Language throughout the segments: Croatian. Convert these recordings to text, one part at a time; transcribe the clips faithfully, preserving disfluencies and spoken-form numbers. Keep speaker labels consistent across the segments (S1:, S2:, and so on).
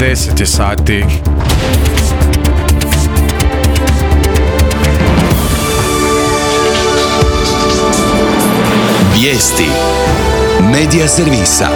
S1: deset je sati.
S2: Vijesti Medija servisa.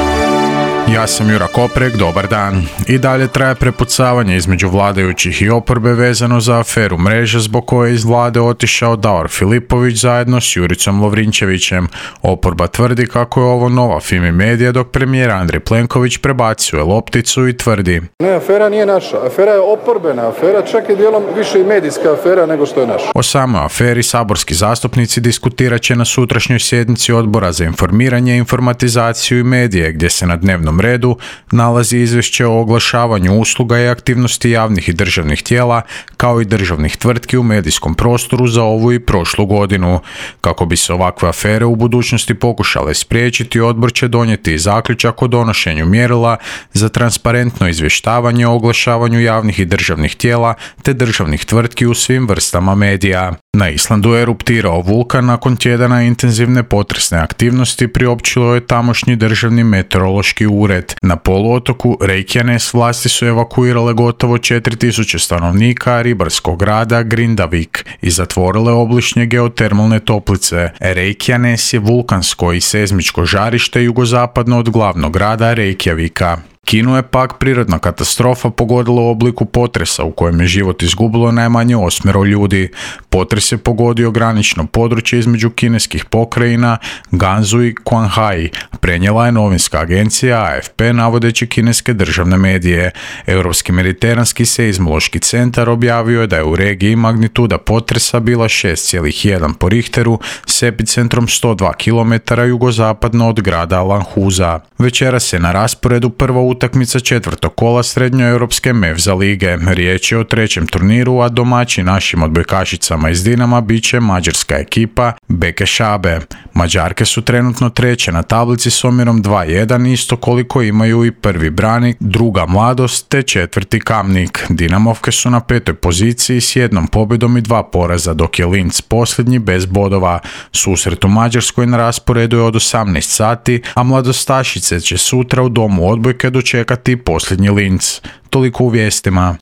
S1: Ja sam Jura Koprek, dobar dan. I dalje traje prepucavanje između vladajućih i oporbe vezano za aferu Mreža zbog koje je iz vlade otišao Davor Filipović zajedno s Juricom Lovrinčevićem. Oporba tvrdi kako je ovo nova Fimi Medija, dok premijer Andrej Plenković prebacuje lopticu i tvrdi:
S3: Ne, afera nije naša, afera je oporbena afera, čak i dijelom više i medijska afera nego što je naša.
S1: O samoj aferi saborski zastupnici diskutirat će na sutrašnjoj sjednici Odbora za informiranje, informatizaciju i medije, gdje se na dnevnom redu nalazi izvješće o oglašavanju usluga i aktivnosti javnih i državnih tijela, kao i državnih tvrtki u medijskom prostoru za ovu i prošlu godinu. Kako bi se ovakve afere u budućnosti pokušale spriječiti, odbor će donijeti zaključak o donošenju mjerila za transparentno izvještavanje o oglašavanju javnih i državnih tijela te državnih tvrtki u svim vrstama medija. Na Islandu je eruptirao vulkan nakon tjedana intenzivne potresne aktivnosti, priopćilo je tamošnji državni meteorološki ured. Na poluotoku Reykjanes vlasti su evakuirale gotovo četiri tisuće stanovnika ribarskog grada Grindavik i zatvorile obližnje geotermalne toplice. Reykjanes je vulkansko i seizmičko žarište jugozapadno od glavnog grada Reykjavika. Kinu je pak prirodna katastrofa pogodila u obliku potresa u kojem je život izgubilo najmanje osmero ljudi. Potres je pogodio granično područje između kineskih pokrajina Gansu i Qinghai, prenijela je novinska agencija A F P navodeći kineske državne medije. Europski mediteranski seizmološki centar objavio je da je u regiji magnituda potresa bila šest zarez jedan po Richteru s epicentrom sto dva kilometra jugozapadno od grada Lanhuza. Večeras je na rasporedu prva utakmica četvrtog kola srednjoeuropske Mevza lige. Riječ je o trećem turniru, a domaći našim odbojkašicama iz Dinama bit će mađarska ekipa Bekešabe. Mađarke su trenutno treće na tablici s omjerom dva jedan, isto koliko imaju i prvi Branik, druga Mladost te četvrti Kamnik. Dinamovke su na petoj poziciji s jednom pobjedom i dva poraza, dok je Linz posljednji bez bodova. Susret u Mađarskoj na rasporedu je od osamnaest sati, a mladostašice će sutra u domu odbojke dočekati posljednji Linz. Toliko u vijestima.